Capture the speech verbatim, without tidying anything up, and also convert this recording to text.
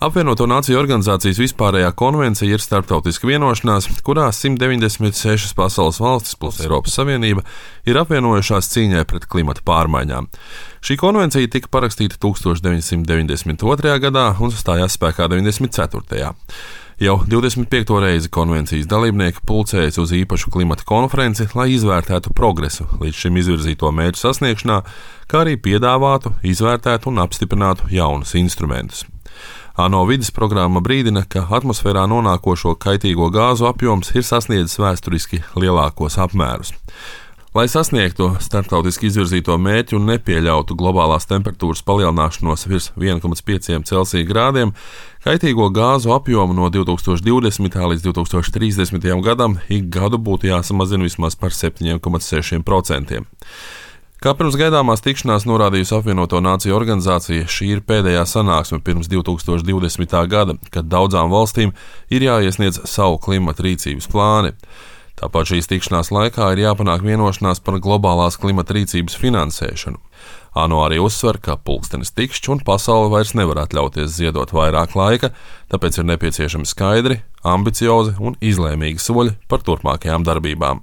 Apvienoto Nāciju organizācijas vispārējā konvencija ir starptautiska vienošanās, kurā simt deviņdesmit sešas pasaules valstis plus Eiropas Savienība ir apvienojušās cīņai pret klimata pārmaiņām. Šī konvencija tika parakstīta tūkstoš deviņsimt deviņdesmit otrajā gadā un stājās spēkā deviņdesmit ceturtajā Jau divdesmit piekto reizi konvencijas dalībnieki pulcējas uz īpašu klimata konferenci, lai izvērtētu progresu līdz šim izvirzīto mērķu sasniegšanā, kā arī piedāvātu, izvērtētu un apstiprinātu jaunus instrumentus. ANO vides programma brīdina, ka atmosfērā nonākošo kaitīgo gāzu apjoms ir sasniedzis vēsturiski lielākos apmērus. Lai sasniegtu starptautiski izvirzīto mērķi un nepieļautu globālās temperatūras palielināšanos virs viena komats pieci Celsija grādiem, kaitīgo gāzu apjomu no divi tūkstoši divdesmitā līdz divi tūkstoši trīsdesmitajam gadam ik gadu būtu jāsamazina vismaz par septiņiem komats sešiem procentiem. Kā pirms gaidāmās tikšanās norādījusi Apvienoto Nāciju organizācija, šī ir pēdējā sanāksme pirms divi tūkstoši divdesmitā gada, kad daudzām valstīm ir jāiesniedz savu klimata rīcības plāni. Tāpat šīs tikšanās laikā ir jāpanāk vienošanās par globālās klimata rīcības finansēšanu. ANO arī uzsver, ka pulkstenis tikšķi un pasaule vairs nevar atļauties ziedot vairāk laika, tāpēc ir nepieciešami skaidri, ambiciozi un izlēmīgi soļi par turpmākajām darbībām.